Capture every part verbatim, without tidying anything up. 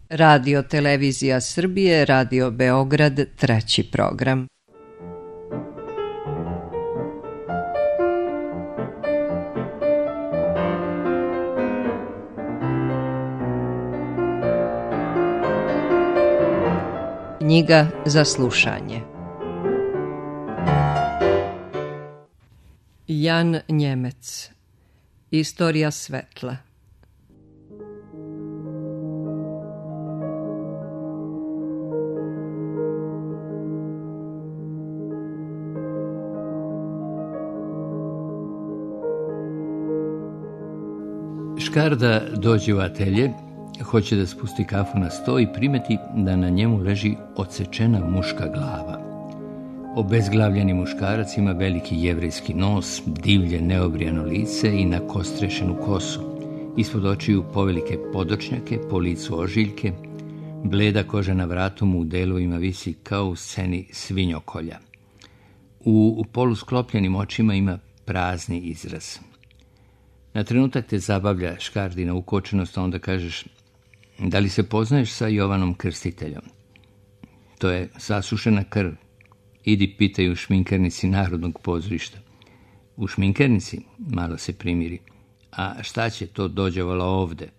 Radio Televizija Srbije, Radio Beograd, treći program. Knjiga za slušanje. Jan Njemec. Istorija svetla. Škarda dođe u atelje, hoće da spusti kafu na sto i primeti da na njemu leži odsečena muška glava. Obezglavljeni muškarac ima veliki jevrejski nos, divlje neobrijano lice i nakostrešenu kosu. Ispod očiju povelike podočnjake, po licu ožiljke, bleda koža na vratu mu u delovima visi kao u sceni svinjokolja. U, u polusklopljenim očima ima prazni izraz. Na trenutak te zabavlja škardina ukočenost, a onda kažeš: da li se poznaješ sa Jovanom Krstiteljom? To je sasušena krv. Idi pitaj u šminkernici Narodnog pozorišta. U šminkernici? Malo se primiri. A šta će to dođevala ovde?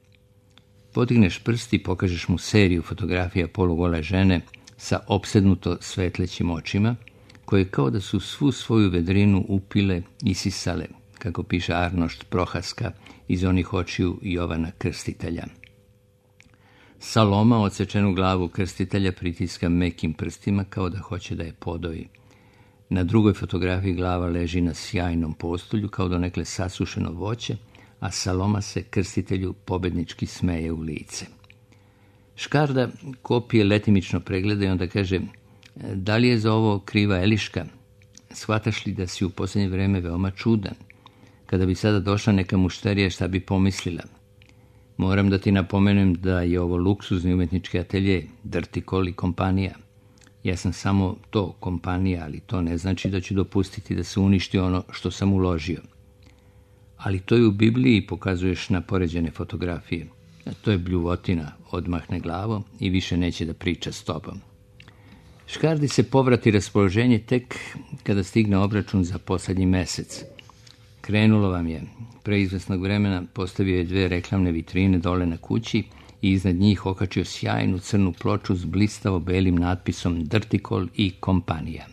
Podigneš prst i pokažeš mu seriju fotografija polugole žene sa opsednuto svetlećim očima, koje kao da su svu svoju vedrinu upile i sisale, kako piše Arnošt Prohaska iz onih očiju Jovana Krstitelja. Saloma odsečenu glavu Krstitelja pritiska mekim prstima kao da hoće da je podoji. Na drugoj fotografiji glava leži na sjajnom postolju kao donekle sasušeno voće, a Saloma se Krstitelju pobednički smeje u lice. Škarda kopije letimično pregleda i onda kaže: da li je za ovo kriva Eliška? Shvataš li da si u posljednje vreme veoma čudan? Kada bi sada došla neka mušterija, šta bi pomislila? Moram da ti napomenem da je ovo luksuzni umetnički atelje, Drtikol i kompanija. Ja sam samo to, kompanija, ali to ne znači da ću dopustiti da se uništi ono što sam uložio. Ali to je u Bibliji, pokazuješ na poređene fotografije. A to je bljuvotina, odmahne glavo i više neće da priča s tobom. Škardi se povrati raspoloženje tek kada stigne obračun za poslednji mesec. Krenulo vam je. Pre izvesnog vremena postavio je dve reklamne vitrine dole na kući i iznad njih okačio sjajnu crnu ploču s blistavo belim natpisom Drtikol i kompanija.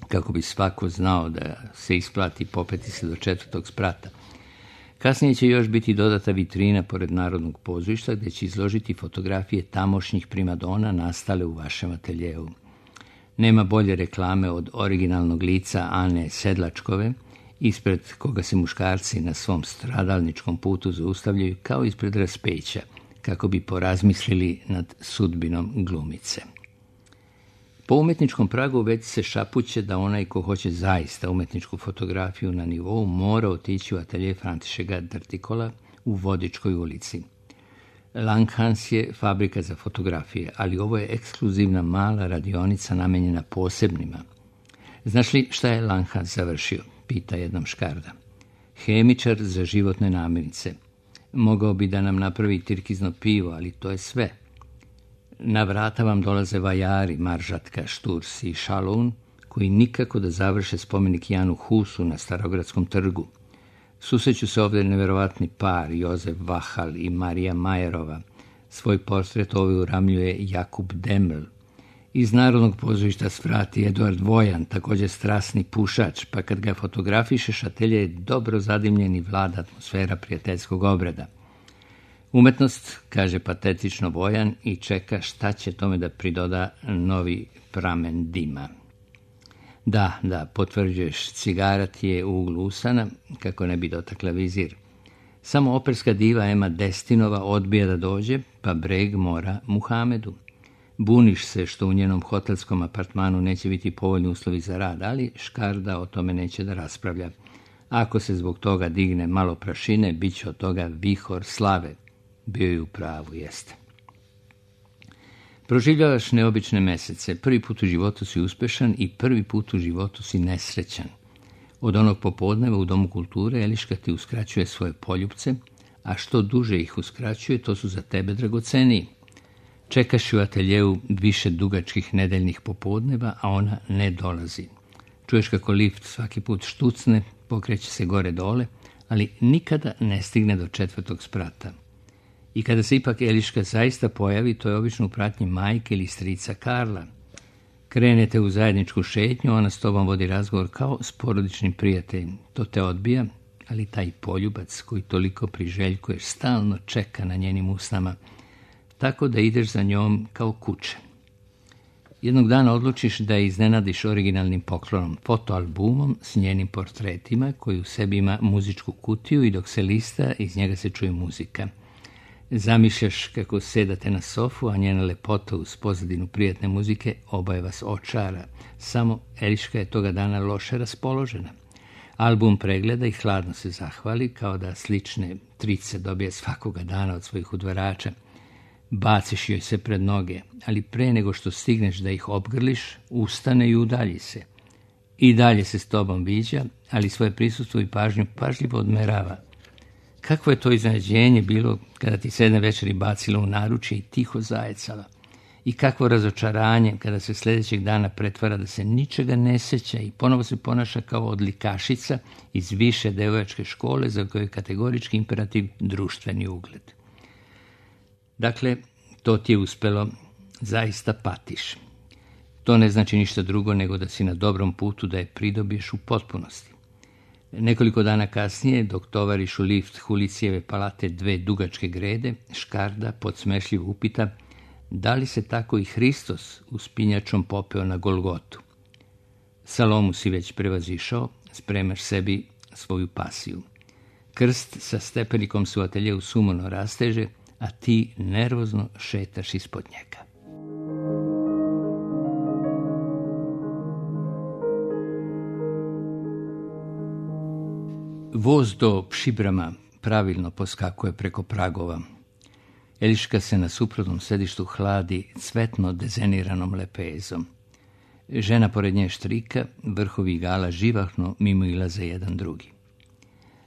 Kako bi svako znao da se isplati popeti se do četvrtog sprata. Kasnije će još biti dodata vitrina pored Narodnog pozorišta gdje će izložiti fotografije tamošnjih primadona nastale u vašem ateljeu. Nema bolje reklame od originalnog lica Ane Sedlačkove, ispred koga se muškarci na svom stradalničkom putu zaustavljaju kao ispred raspeća, kako bi porazmislili nad sudbinom glumice. Po umetničkom pragu već se šapuće da onaj ko hoće zaista umetničku fotografiju na nivou mora otići u atelje Františeka Drtikola u Vodičkoj ulici. Langhans je fabrika za fotografije, ali ovo je ekskluzivna mala radionica namenjena posebnima. Znaš li šta je Langhans završio? Pita jednom Škarda. Hemičar za životne namirnice. Mogao bi da nam napravi tirkizno pivo, ali to je sve. Na vrata vam dolaze vajari, Maržatka, Šturs i Šalun, koji nikako da završe spomenik Janu Husu na Starogradskom trgu. Susreću se ovdje neverovatni par, Jozef Vahal i Marija Majerova. Svoj portret ovaj uramljuje Jakub Deml. Iz Narodnog pozorišta svrati Eduard Vojan, također strasni pušač, pa kad ga fotografišeš, atelje je dobro zadimljen i vlada atmosfera prijateljskog obreda. Umetnost, kaže patetično Vojan i čeka šta će tome da pridoda novi pramen dima. Da, da, potvrđuješ, cigara ti je u uglu usana, kako ne bi dotakla vizir. Samo operska diva Ema Destinova odbija da dođe, pa breg mora Muhamedu. Buniš se što u njenom hotelskom apartmanu neće biti povoljni uslovi za rad, ali Škarda o tome neće da raspravlja. Ako se zbog toga digne malo prašine, bit će od toga vihor slave. Bio je u pravu, jeste. Proživljavaš neobične mesece. Prvi put u životu si uspešan i prvi put u životu si nesrećan. Od onog popodneva u Domu kulture Eliška ti uskraćuje svoje poljupce, a što duže ih uskraćuje, to su za tebe dragoceniji. Čekaš u ateljeu više dugačkih nedeljnih popodneva, a ona ne dolazi. Čuješ kako lift svaki put štucne, pokreće se gore dole, ali nikada ne stigne do četvrtog sprata. I kada se ipak Eliška zaista pojavi, to je obično u pratnji majke ili strica Karla. Krenete u zajedničku šetnju, ona s tobom vodi razgovor kao s porodičnim prijateljem. To te odbija, ali taj poljubac koji toliko priželjkuješ stalno čeka na njenim usnama, tako da ideš za njom kao kuće. Jednog dana odlučiš da je iznenadiš originalnim poklonom, fotoalbumom s njenim portretima koji u sebi ima muzičku kutiju i dok se lista, iz njega se čuje muzika. Zamišljaš kako sedate na sofu, a njena lepota uz pozadinu prijatne muzike oboje vas očara. Samo Eliška je toga dana loše raspoložena. Album pregleda i hladno se zahvali, kao da slične trice dobije svakoga dana od svojih udvarača. Baciš joj se pred noge, ali pre nego što stigneš da ih obgrliš, ustane i udalji se. I dalje se s tobom viđa, ali svoje prisustvo i pažnju pažljivo odmerava. Kakvo je to iznenađenje bilo kada ti se jedne večeri bacila u naručje i tiho zajecala. I kakvo razočaranje kada se sljedećeg dana pretvara da se ničega ne sjeća i ponovo se ponaša kao odlikašica iz više devojačke škole za koju je kategorički imperativ društveni ugled. Dakle, to ti je uspelo, zaista patiš. To ne znači ništa drugo nego da si na dobrom putu da je pridobiješ u potpunosti. Nekoliko dana kasnije, dok tovariš u lift Hulicijeve palate dve dugačke grede, Škarda podsmešljivo upita da li se tako i Hristos uspinjačom popeo na Golgotu. Salomu si već prevazišao, spremaš sebi svoju pasiju. Krst sa stepenikom se u ateljeu sumorno rasteže, a ti nervozno šetaš ispod njega. Voz do Pšibrama pravilno poskakuje preko pragova. Eliška se na suprotnom sedištu hladi cvetno dezeniranom lepezom. Žena pored nje štrika, vrhovi igala živahno mimo ilaze jedan drugi.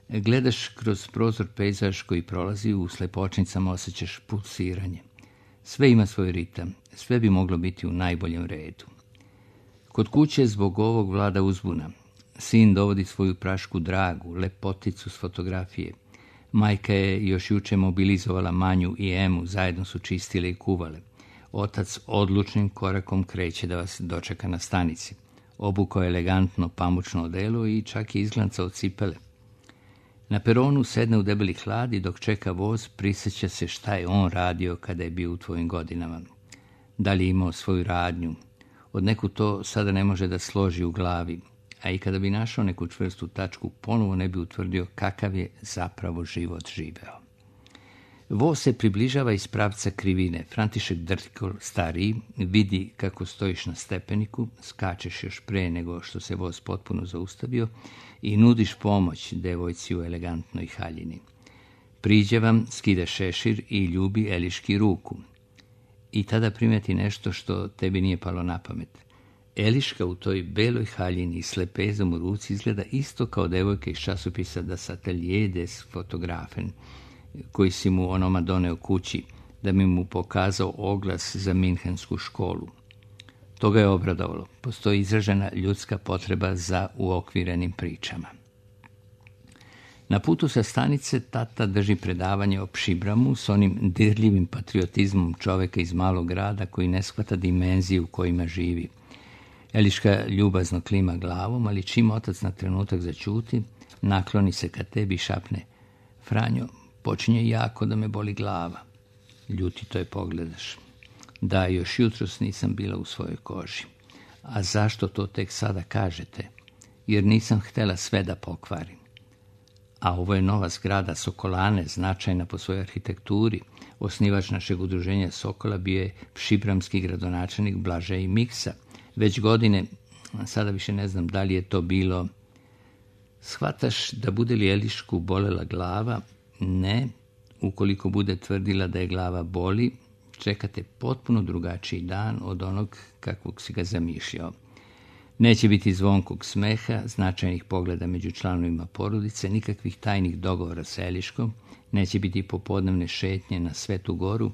Gledaš kroz prozor pejzaž koji prolazi, u slepočnicama osjećaš pulsiranje. Sve ima svoj ritam, sve bi moglo biti u najboljem redu. Kod kuće zbog ovog vlada uzbuna. Sin dovodi svoju prašku Dragu, lepoticu s fotografije. Majka je još juče mobilizovala Manju i Emu, zajedno su čistile i kuvale. Otac odlučnim korakom kreće da vas dočeka na stanici. Obukao je elegantno pamučno odelo i čak je izglancao cipele. Na peronu sedne u debeli hlad i dok čeka voz prisjeća se šta je on radio kada je bio u tvojim godinama. Da li je imao svoju radnju? Od neku to sada ne može da složi u glavi, a i kada bi našao neku čvrstu tačku, ponovo ne bi utvrdio kakav je zapravo život živeo. Voz se približava iz pravca krivine. František Drtikol, stariji, vidi kako stojiš na stepeniku, skačeš još pre nego što se voz potpuno zaustavio i nudiš pomoć devojci u elegantnoj haljini. Priđe vam, skida šešir i ljubi Eliški ruku. I tada primeti nešto što tebi nije palo na pamet. Eliška u toj beloj haljini s lepezom u ruci izgleda isto kao devojka iz časopisa Das Atelier des Fotografen, koji si mu onoma doneo kući, da mi mu pokazao oglas za minhensku školu. To ga je obradovalo. Postoji izražena ljudska potreba za uokvirenim pričama. Na putu sa stanice tata drži predavanje o Pšibramu s onim dirljivim patriotizmom čoveka iz malog grada koji ne shvata dimenzije u kojima živi. Eliška ljubazno klima glavom, ali čim otac na trenutak zaćuti, nakloni se ka tebi i šapne: Franjo, počinje jako da me boli glava. Ljutito je pogledaš. Da, još jutros nisam bila u svojoj koži. A zašto to tek sada kažete? Jer nisam htela sve da pokvarim. A ovo je nova zgrada Sokolane, značajna po svojoj arhitekturi. Osnivač našeg udruženja Sokola bio je pšibramski gradonačelnik Blažej Miksa. Već godine, sada više ne znam da li je to bilo. Shvataš da bude li Elišku bolela glava? Ne. Ukoliko bude tvrdila da je glava boli, čekate potpuno drugačiji dan od onog kakvog si ga zamišljao. Neće biti zvonkog smeha, značajnih pogleda među članovima porodice, nikakvih tajnih dogovora sa Eliškom, neće biti popodnevne šetnje na Svetu goru,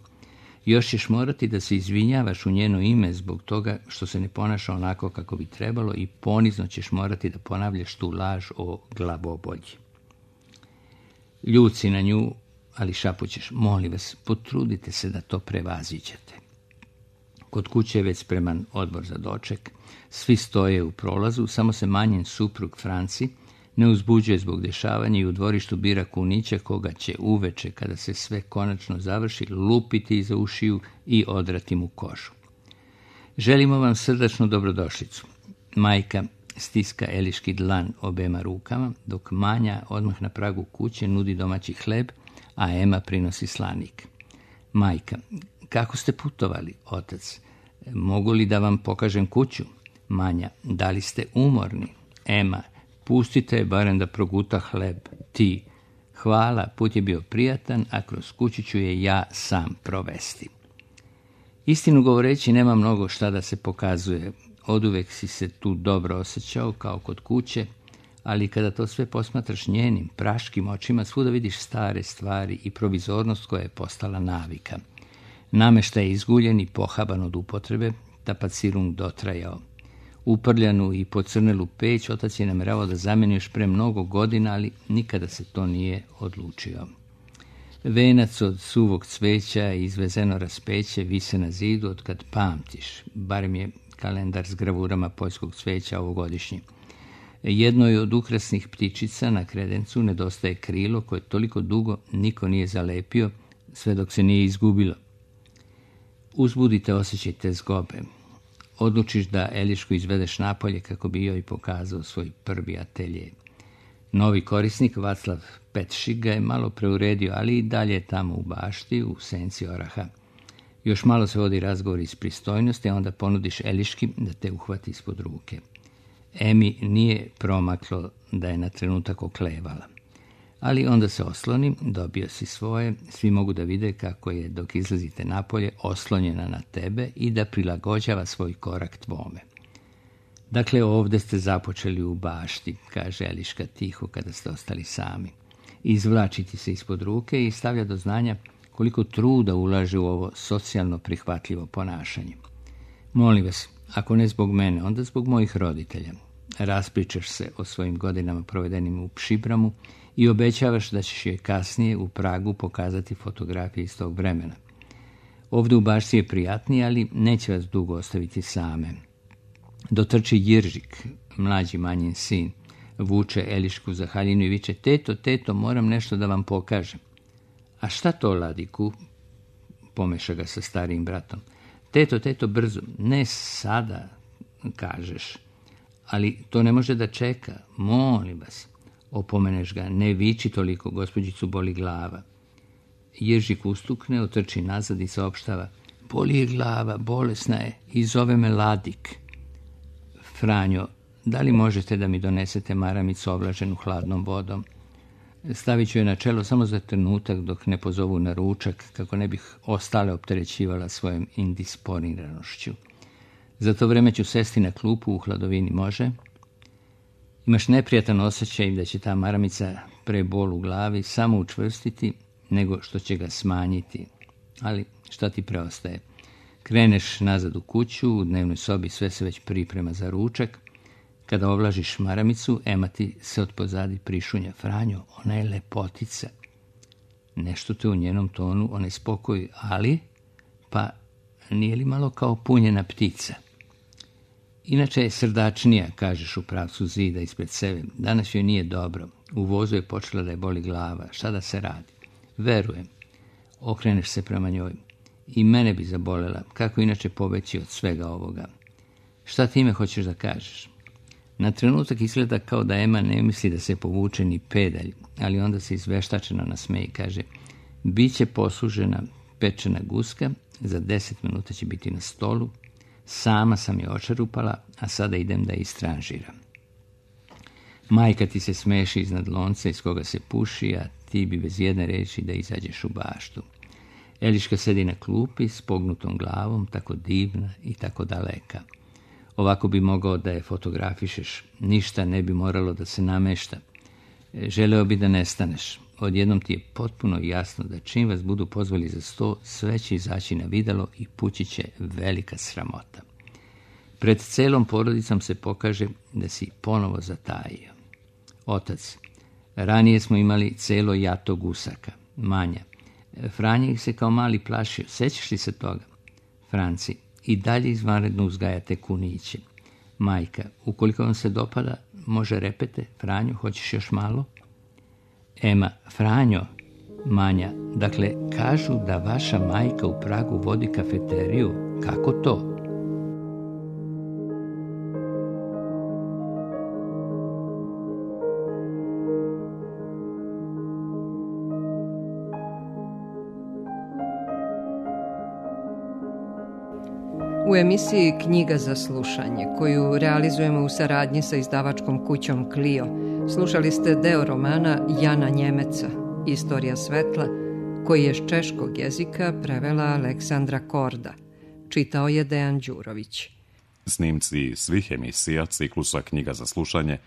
Još ćeš morati da se izvinjavaš u njeno ime zbog toga što se ne ponaša onako kako bi trebalo i ponizno ćeš morati da ponavljaš tu laž o glavobolji. Ljut si na nju, ali šapućeš, molim vas, potrudite se da to prevaziđete. Kod kuće je već spreman odbor za doček, svi stoje u prolazu, samo se manjen suprug Franci ne uzbuđuje zbog dešavanja i u dvorištu bira kunića koga će uveče, kada se sve konačno završi, lupiti iza ušiju i odrati mu kožu. Želimo vam srdačnu dobrodošlicu. Majka stiska Eliški dlan obema rukama, dok Manja odmah na pragu kuće nudi domaći hleb, a Ema prinosi slanik. Majka, kako ste putovali, otac? Mogu li da vam pokažem kuću? Manja, da li ste umorni? Ema, pustite je barem da proguta hleb. Ti, hvala, put je bio prijatan, a kroz kuću ću je ja sam provesti. Istinu govoreći, nema mnogo šta da se pokazuje. Oduvek si se tu dobro osjećao, kao kod kuće, ali kada to sve posmatraš njenim, praškim očima, svuda vidiš stare stvari i provizornost koja je postala navika. Nameštaj je izguljen i pohaban od upotrebe, tapacirung dotrajao. Uprljanu i pocrnelu peć otac je nameravao da zameni još pre mnogo godina, ali nikada se to nije odlučio. Venac od suvog cveća i izvezeno raspeće vise na zidu od kad pamtiš, barem je kalendar s gravurama poljskog cveća ovogodišnji. Jednoj od ukrasnih ptičica na kredencu nedostaje krilo koje toliko dugo niko nije zalepio, sve dok se nije izgubilo. Uzbudite osjećaj te zgobe. Odlučiš da Elišku izvedeš napolje kako bi joj pokazao svoj prvi atelje. Novi korisnik, Vaclav Petšik, ga je malo preuredio, ali i dalje je tamo u bašti, u senci oraha. Još malo se vodi razgovor iz pristojnosti, a onda ponudiš Eliški da te uhvati ispod ruke. Emi nije promaklo da je na trenutak oklevala. Ali onda se osloni, dobio si svoje, svi mogu da vide kako je dok izlazite napolje oslonjena na tebe i da prilagođava svoj korak tvome. Dakle, ovdje ste započeli u bašti, kaže Eliška tiho kada ste ostali sami. Izvlači ti se ispod ruke i stavlja do znanja koliko truda ulaže u ovo socijalno prihvatljivo ponašanje. Molim vas, ako ne zbog mene, onda zbog mojih roditelja. Raspričaš se o svojim godinama provedenim u Pšibramu i obećavaš da ćeš joj kasnije u Pragu pokazati fotografije iz tog vremena. Ovdje u bašti je prijatnije, ali neće vas dugo ostaviti same. Dotrči Jiržik, mlađi manjin sin, vuče Elišku za haljinu i viče, teto, teto, moram nešto da vam pokažem. A šta to, Ladiku? Pomeša ga sa starijim bratom. Teto, teto, brzo. Ne sada, kažeš. Ali to ne može da čeka. Molim vas. Opomeneš ga. Ne viči toliko, gospođicu boli glava. Jiržik ustukne, otrči nazad i saopštava. Boli je glava, bolesna je i zove me Ladik. Franjo, da li možete da mi donesete maramicu oblaženu hladnom vodom? Stavit ću je na čelo samo za trenutak dok ne pozovu na ručak, kako ne bih ostale opterećivala svojom indisponiranošću. Za to vreme ću sesti na klupu u hladovini, može? Imaš neprijatan osjećaj da će ta maramica pre bol u glavi samo učvrstiti, nego što će ga smanjiti. Ali šta ti preostaje? Kreneš nazad u kuću, u dnevnoj sobi sve se već priprema za ručak. Kada ovlažiš maramicu, Ema ti se od pozadi prišunja. Franjo, ona je lepotica. Nešto te u njenom tonu onaj spokoj, ali, pa nije li malo kao punjena ptica? Inače je srdačnija, kažeš u pravcu zida ispred sebe. Danas joj nije dobro. U vozu je počela da je boli glava. Šta da se radi? Verujem. Okreneš se prema njoj. I mene bi zabolela. Kako inače pobeći od svega ovoga? Šta ti ime hoćeš da kažeš? Na trenutak izgleda kao da Ema ne misli da se povuče ni pedalj, ali onda se izveštačeno nasmeje i kaže, biće poslužena pečena guska, za deset minuta će biti na stolu, sama sam je očerupala, a sada idem da istranžiram. Majka ti se smeši iznad lonca iz koga se puši, a ti bi bez jedne reči da izađeš u baštu. Eliška sedi na klupi s pognutom glavom, tako divna i tako daleka. Ovako bi mogao da je fotografišeš, ništa ne bi moralo da se namešta. Želeo bi da nestaneš. Odjednom ti je potpuno jasno da čim vas budu pozvali za sto, sve će izaći na videlo i pući će velika sramota. Pred celom porodicom se pokaže da si ponovo zatajio. Otac, ranije smo imali celo jato gusaka. Manja, Franja ih se kao mali plašio. Sećaš li se toga? Franci, i dalje izvanredno uzgajate kuniće. Majka, ukoliko vam se dopada, može repete. Franjo, hoćeš još malo? Ema, Franjo. Manja, dakle, kažu da vaša majka u Pragu vodi kafeteriju. Kako to? U emisiji Knjiga za slušanje, koju realizujemo u saradnji sa izdavačkom kućom Clio, slušali ste deo romana Jana Njemeca, Istorija svetla, koji je s češkog jezika prevela Aleksandra Korda. Čitao je Dejan Đurović. Snimci svih emisija ciklusa Knjiga za slušanje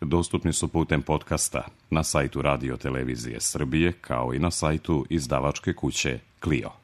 dostupni su putem podcasta na sajtu Radio Televizije Srbije, kao i na sajtu izdavačke kuće Clio.